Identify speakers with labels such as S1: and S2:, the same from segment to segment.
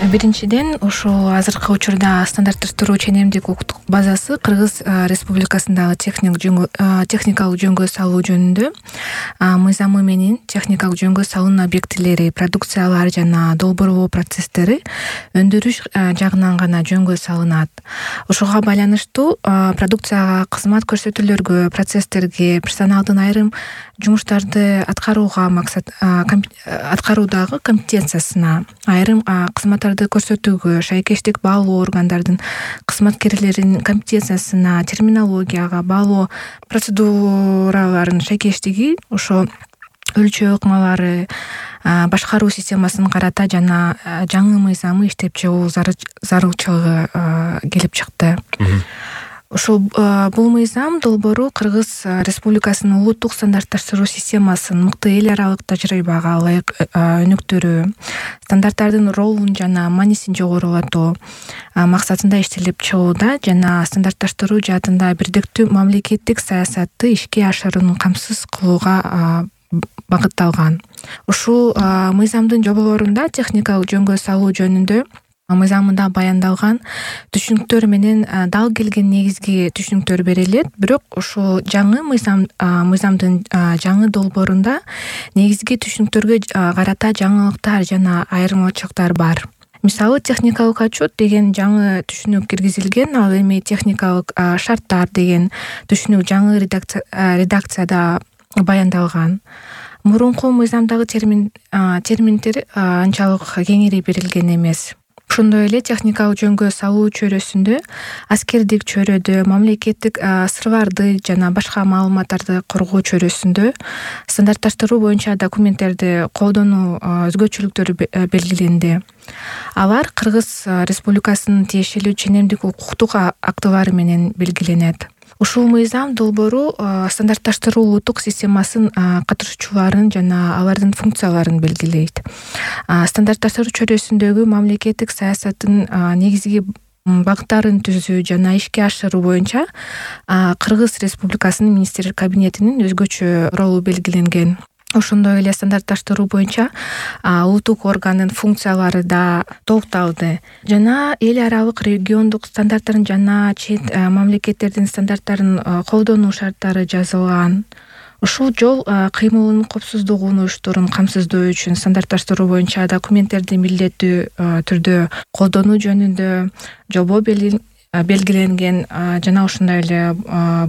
S1: Биринчиден, ушул азыркы учурда стандартташтыруу ченемдик укуктук базасы Кыргыз Республикасындагы техникалык жөнгө салуу жөнүндө мыйзамы менен техникалык жөнгө салуунун объектилери, продукциялар жана долбоорлоо процесстери өндүрүш жагынан гана жөнгө салынат. Ушуга байланыштуу продукцияга, кызмат көрсөтүүлөргө, процесстерге, персоналдын айрым жумуштарды аткаруудагы компетенциясына, айрым кызматтарды көрсөтүүгө, шайкештик баалоо органдардын кызматкерлеринин компетенциясына, терминологияга, баалоо процедураларынын шайкештиги, ошо өлчөө ыкмалары, башкаруу системасын карата жана жаңы мыйзамы иштеп чыгуу зарылчылыгы келип чыкты. Ушул бул мыйзам долбоору Кыргыз Республикасынын улуттук стандартташтыруу системасын мыкты эл аралык тажрыйбага ылайык өнүктүрүү, стандарттардын ролун жана маанисин жогорулатуу максатында иштелип чыгууда жана стандартташтыруу жаатында бирдиктүү мамлекеттик саясатты ишке ашырууну камсыз кылууга багытталган. Ушул мыйзамдын жоболорунда техникалык жөнгө салуу жөнүндө мыйзамында баяндалган түшүнүктөр менен дал келген негизги түшүнүктөр берилет. Бирок ушул жаңы мыйзамдын жаңы долбоорунда негизги түшүнүктөргө карата жаңылыктар жана айырмачылыктар бар. Мисалы, техникалык отчет деген жаңы түшүнүк киргизилген, ал эми техникалык шарттар деген түшүнүк жаңы редакцияда баяндалган. Мурунку мыйзамдагы терминдер анчалык кеңири берилген эмес. Ошондой эле техникалык жөнгө салуу чөйрөсүндө, аскердик чөйрөдө, мамлекеттик сырларды жана башка маалыматтарды коргоо чөйрөсүндө стандартташтыруу боюнча документтерди колдонуу өзгөчөлүктөрү белгиленди. Алар Кыргыз Республикасынын тиешелүү ченемдик укуктук актылары менен белгиленет. Ушул мыйзам долбоору стандартташтыруу улуттук системасын катышуучуларын жана алардын функцияларын белгилейт. Стандартташтыруу чөйрөсүндөгү мамлекеттик саясаттын негизги багыттарын түзүү жана ишке ашыруу боюнча Кыргыз Республикасынын министрлер кабинетинин өзгөчө ролу белгиленген. Ошондой эле стандартташтыруу боюнча улуттук органдын функциялары да толукталды жана эл аралык региондук стандарттарын жана чет мамлекеттердин стандарттарын колдонуу шарттары жазылган. Ушул жол кыймылынын коопсуздугун уюштуруун камсыздоо үчүн стандартташтыруу боюнча документтерди милдеттүү түрдө колдонуу жөнүндө жобо белгиленген жана ошондой эле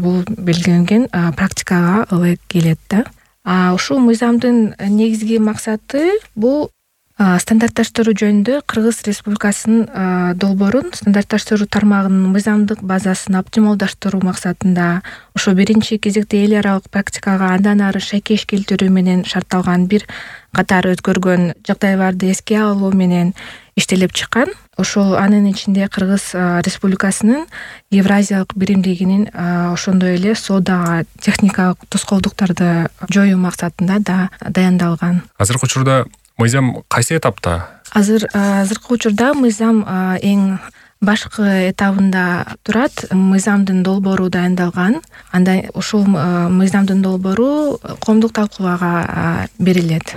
S1: бул белгиленген практикага ылайык келет да. Ушул мыйзамдын негизги максаты бул стандартташтыруу жөнүндө Кыргыз Республикасынын долбоорун стандартташтыруу тармагынын мыйзамдык базасын оптималдаштыруу максатында ошо биринчи кезекте эл аралык практикага андан ары шайкеш келтирүү менен шартталган бир катар өзгөргөн жагдайларды эске алуу менен иштелип чыккан. Ошол анын ичинде Кыргыз Республикасынын Евразиялык биримдигинин ошондой эле соодага техникалык тоскоолдуктарды жоюу максатында да даяндалган.
S2: Азыркы учурда мыйзам кайсы этапта?
S1: Азыркы учурда мыйзам эң башкы этабында турат. Мыйзамдын долбоору дайындалган. Анда ушул мыйзамдын долбоору коомдук талкуулоого берилет.